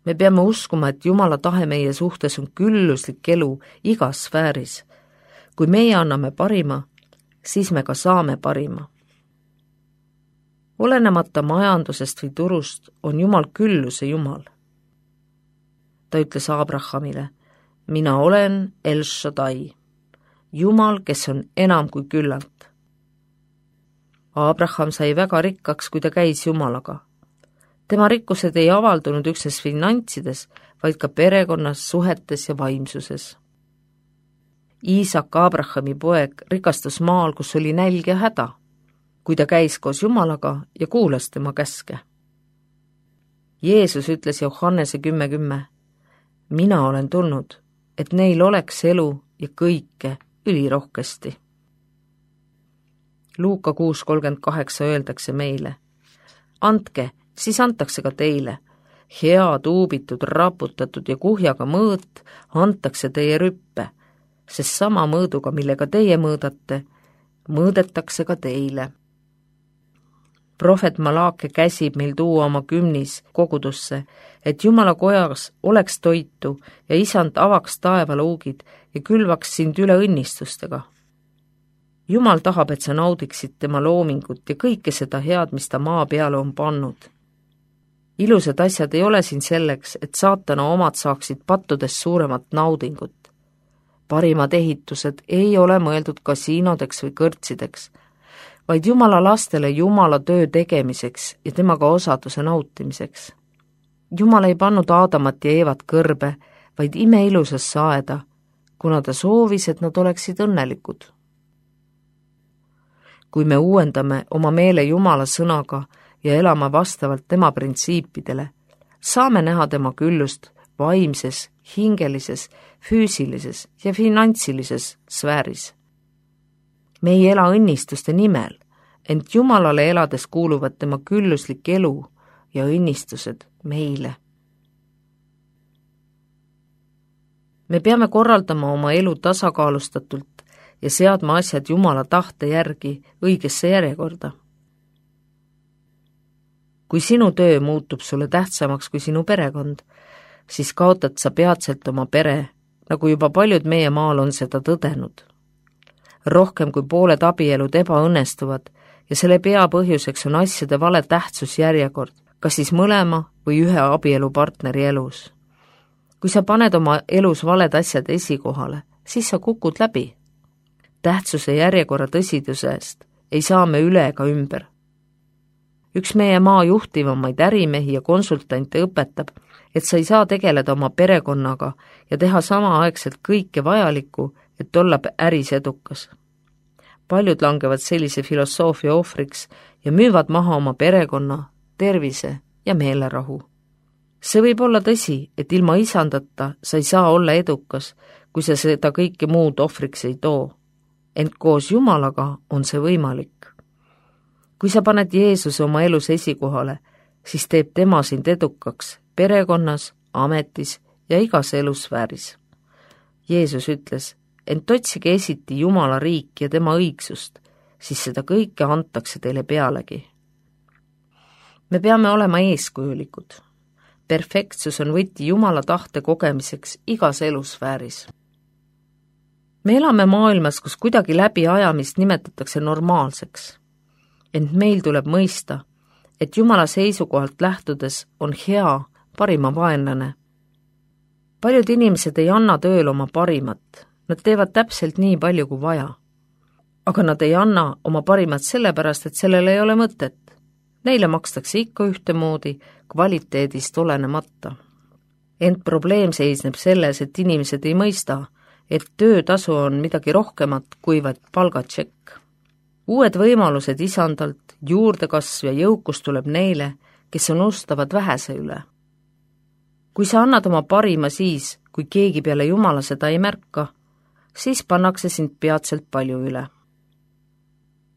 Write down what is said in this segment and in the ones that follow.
Me peame uskuma, et Jumala tahe meie suhtes on külluslik elu igas sfääris. Kui meie anname parima, siis me ka saame parima. Olenemata majandusest või turust on Jumal külluse Jumal. Ta ütles Abrahamile, mina olen El Shaddai, Jumal, kes on enam kui küllalt. Abraham sai väga rikkaks, kui ta käis Jumalaga. Tema rikkused ei avaldunud üksnes finantsides, vaid ka perekonnas, suhetes ja vaimsuses. Iisak, Abrahami poeg, rikastus maal, kus oli nälg ja häda, kui ta käis koos Jumalaga ja kuulas tema käske. Jeesus ütles Johannese 10:10, mina olen tulnud, et neil oleks elu ja kõike ülirohkesti. Luuka 6:38 öeldakse meile, andke, siis antakse ka teile. Hea, tuubitud, raputatud ja kuhjaga mõõt antakse teie rüppe, sest sama mõõduga, millega teie mõõdate, mõõdetakse ka teile. Prohvet Malaake käsib meil tuua oma kümnis kogudusse, et Jumala kojas oleks toitu ja Isand avaks taevaluugid ja külvaks sind üle õnnistustega. Jumal tahab, et sa naudiksid tema loomingut ja kõike seda head, mis ta maa peale on pannud. Ilusad asjad ei ole siin selleks, et saatana omad saaksid pattudest suuremat naudingut. Parimad ehitused ei ole mõeldud kasiinodeks või kõrtsideks, vaid Jumala lastele Jumala töö tegemiseks ja temaga osaduse nautimiseks. Jumal ei pannud Aadamat ja Eevat kõrbe, vaid imeilusasse aeda, kuna ta soovis, et nad oleksid õnnelikud. Kui me uuendame oma meele Jumala sõnaga ja elame vastavalt tema printsiipidele, saame näha tema küllust vaimses, hingelises, füüsilises ja finantsilises sfääris. Me ei ela õnnistuste nimel, ent Jumalale elades kuuluvad tema külluslik elu ja õnnistused meile. Me peame korraldama oma elu tasakaalustatult ja seadma asjad Jumala tahte järgi õigesse järjekorda. Kui sinu töö muutub sulle tähtsamaks kui sinu perekond, siis kaotad sa peatselt oma pere, nagu juba paljud meie maal on seda tõdenud. Rohkem kui pooled abielud ebaõnnestuvad ja selle peapõhjuseks on asjade vale tähtsusjärjekord, kas siis mõlema või ühe abielupartneri elus. Kui sa paned oma elus valed asjad esikohale, siis sa kukud läbi. Tähtsuse järjekorra tõsidusest ei saa me üle ega ümber. Üks meie maa juhtivamaid ärimehi ja konsultante õpetab, et sa ei saa tegeleda oma perekonnaga ja teha samaaegselt kõike vajalikku, et olla äris edukas. Paljud langevad sellise filosoofia ohvriks ja müüvad maha oma perekonna, tervise ja meelerahu. See võib olla tõsi, et ilma isandata sa ei saa olla edukas, kui sa seda kõike muud ohvriks ei too. Ent koos Jumalaga on see võimalik. Kui sa paned Jeesuse oma elus esikohale, siis teeb tema sind edukaks perekonnas, ametis ja igas elusfääris. Jeesus ütles, ent otsige esiti Jumala riiki ja tema õigsust, siis seda kõike antakse teile pealegi. Me peame olema eeskujulikud. Perfektsus on võti Jumala tahte kogemiseks igas elusfääris. Me elame maailmas, kus kuidagi läbiajamist nimetatakse normaalseks. Ent meil tuleb mõista, et Jumala seisukohalt lähtudes on hea parima vaenlane. Paljud inimesed ei anna tööl oma parimat, nad teevad täpselt nii palju kui vaja. Aga nad ei anna oma parimat sellepärast, et sellel ei ole mõtet. Neile makstakse ikka ühtemoodi kvaliteedist olenemata. Ent probleem seisneb selles, et inimesed ei mõista, et töötasu on midagi rohkemat kui vaid palgatšekk. Uued võimalused isandalt, juurdekasv ja jõukus tuleb neile, kes unustavad vähese üle. Kui sa annad oma parima siis, kui keegi peale Jumala seda ei märka, siis pannakse sind peatselt palju üle.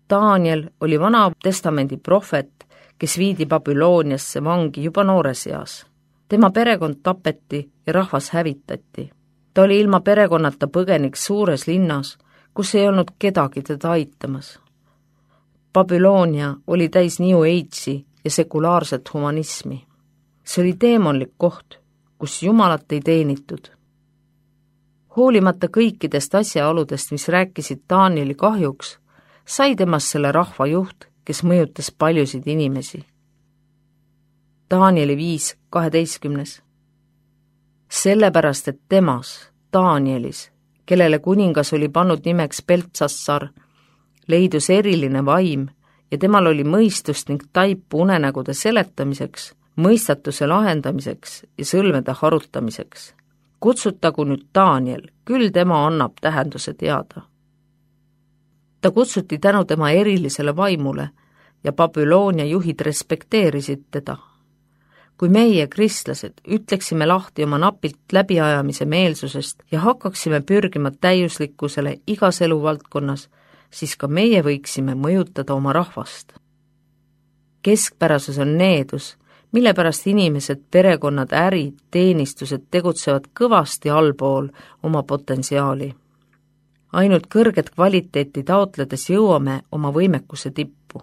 Daniel oli Vana Testamendi prohvet, kes viidi Babyloniasse vangi juba noores eas. Tema perekond tapeti ja rahvas hävitati. Ta oli ilma perekonnata põgenik suures linnas, kus ei olnud kedagi teda aitamas. Babylonia oli täis New Age'i ja sekulaarset humanismi. See oli teemonlik koht, kus Jumalat ei teenitud. Hoolimata kõikidest asjaoludest, mis rääkisid Danieli kahjuks, sai temast selle rahva juht, kes mõjutas paljusid inimesi. Danieli 5:12. Sellepärast, et temas, Danielis, kellele kuningas oli pannud nimeks Beltsassar, leidus eriline vaim ja temal oli mõistust ning taipu unenägude seletamiseks, mõistatuse lahendamiseks ja sõlmede harutamiseks. Kutsutagu nüüd Daniel, küll tema annab tähenduse teada. Ta kutsuti tänu tema erilisele vaimule ja Babyloonia juhid respekteerisid teda. Kui meie, kristlased, ütleksime lahti oma napilt läbiajamise meelsusest ja hakkaksime pürgima täiuslikkusele igas eluvaldkonnas, siis ka meie võiksime mõjutada oma rahvast. Keskpärasus on needus, mille pärast inimesed, perekonnad, ärid, teenistused tegutsevad kõvasti allpool oma potentsiaali. Ainult kõrget kvaliteeti taotledes jõuame oma võimekuse tippu.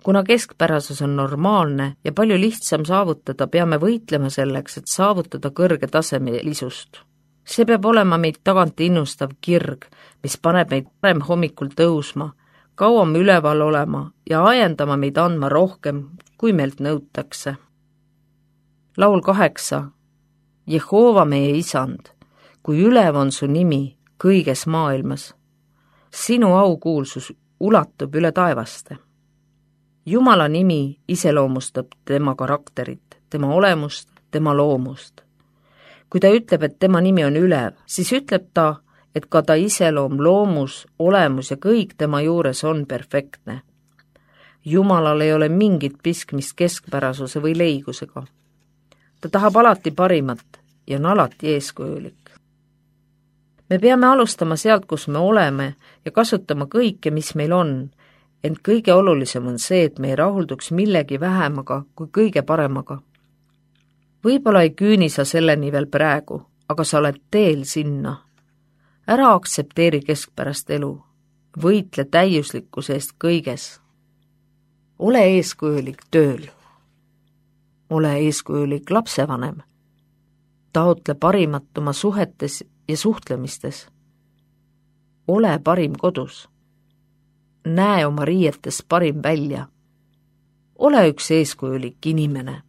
Kuna keskpärasus on normaalne ja palju lihtsam saavutada, peame võitlema selleks, et saavutada kõrge tasemelisust. See peab olema meid tagant innustav kirg, mis paneb meid parem hommikul tõusma, kauem üleval olema ja ajendama meid andma rohkem, kui meilt nõutakse. Laul 8. Jehova meie isand, kui ülev on su nimi kõiges maailmas. Sinu aukuulsus ulatub üle taevaste. Jumala nimi iseloomustab tema karakterit, tema olemust, tema loomust. Kui ta ütleb, et tema nimi on ülev, siis ütleb ta, et ka ta iseloom, loomus, olemus ja kõik tema juures on perfektne. Jumalal ei ole mingit piskmist keskpärasuse või leigusega. Ta tahab alati parimat ja on alati eeskujulik. Me peame alustama sealt, kus me oleme ja kasutama kõike, mis meil on, ent kõige olulisem on see, et me ei rahulduks millegi vähemaga kui kõige paremaga. Võib-olla ei küüni sa selleni veel praegu, aga sa oled teel sinna. Ära aktsepteeri keskpärast elu, võitle täiuslikkuse eest kõiges. Ole eeskujulik tööl. Ole eeskujulik lapsevanem. Taotle parimat oma suhetes ja suhtlemistes. Ole parim kodus. Näe oma riietes parim välja. Ole üks eeskujulik inimene.